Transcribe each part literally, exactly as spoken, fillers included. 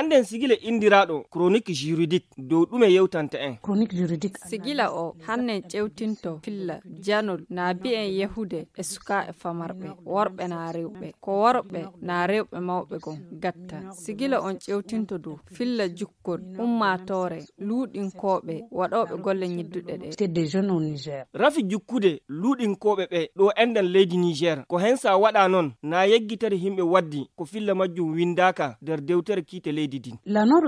Nden sigila inndiraaɗo chronique juridique dow ɗume yewtanta en? Sigila o hannen ƴewtinto filla janol na bi'en yahude e sukaaɓe famarɓe, worɓe na rewɓe, ko worɓe na rewɓe mawɓe gon gatta. Sigila on ƴewtinto dow filla jukkol ummaatoore luuɗinkooɓe waɗooɓe golle ñidduɗe ɗe. Rafi jukkude luuɗinkooɓe ɓe ɗo enɗan leydi Niger, ko hen sa waɗa non na yeggitere himɓe waddi ko filla majjum windaaka nder dewtere kiite leydi din.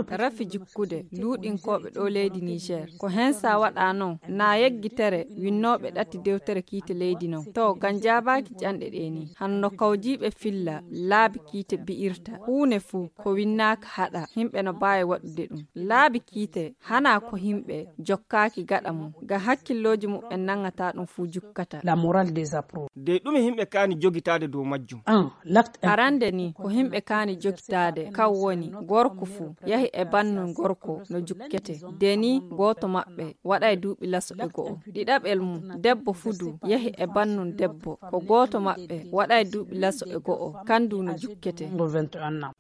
Rafi jukkude luuɗinkooɓe ɗo leydi Niger, ko hen sa waɗa non na yeggitere winnooɓe ɗatti dewtere kiite leydi non. To, ngam jaabaaki ƴanɗe ɗe ni, hanno kawjiiɓe filla laabi kiite bi'irta, huune fuu ko winnaaka haɗa, himɓe no baawi waɗude ɗum. Laabi kiite hana ko himɓe jokkaaki gaɗa mum, ngam hakkillooji muɓɓen nangata ɗum fuu jukkata. De ɗume himɓe kaani jogitaade dow majjum? Arande ni, ko himɓe kaani jogitaade, kan woni gorko fuu yahi e bannun gorko no jukkete. De ni, gooto maɓɓe waɗay duuɓi laso e go'o. Ɗiɗaɓel mum, debbo fuu du yahi e bannun debbo. Ko gooto maɓɓe waɗay duuɓi laso e go'o, kan du no jukkete.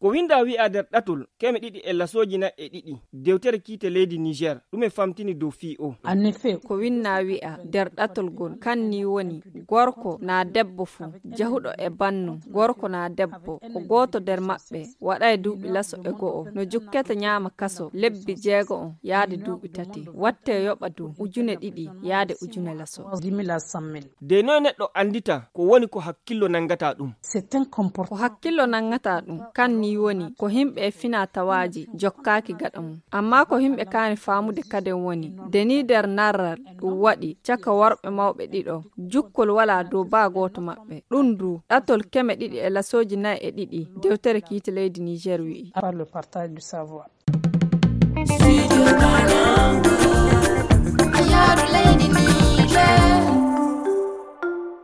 Ko winda wi'a nder ɗatol keme ɗiɗi e lasooji nayi e ɗiɗi, dewtere kiite leydi Niger, ɗume famtini dow fii o? Ko winna wi'a nder ɗatol gol, kan ni woni gorko na debbo fuu, jahuɗo e bannun gorko na debbo, ko gooto nder maɓɓe waɗay duuɓi laso e go'o, no jukkete ñaama kaso lebbi jeego'o yaade duuɓi tati, watte yoɓa du ujune ɗiɗi yaade ujune laso. De noy neɗɗo andita ko woni ko hakkillo nangata ɗum? Ko hakkillo nangata ɗum, kan ni woni ko himɓe e fina tawaaji jokkaaki gaɗa mum. Amma ko himɓe kaani faamude kaden woni, de ni nder narral ɗum waɗi caka worɓe mawɓe ɗiɗo, jukkol wala dow baa gooto maɓɓe. Ɗum du, ɗatol keme ɗiɗi e lasooji nayi e ɗiɗi, dewtere kiite leydi Niger wi'i.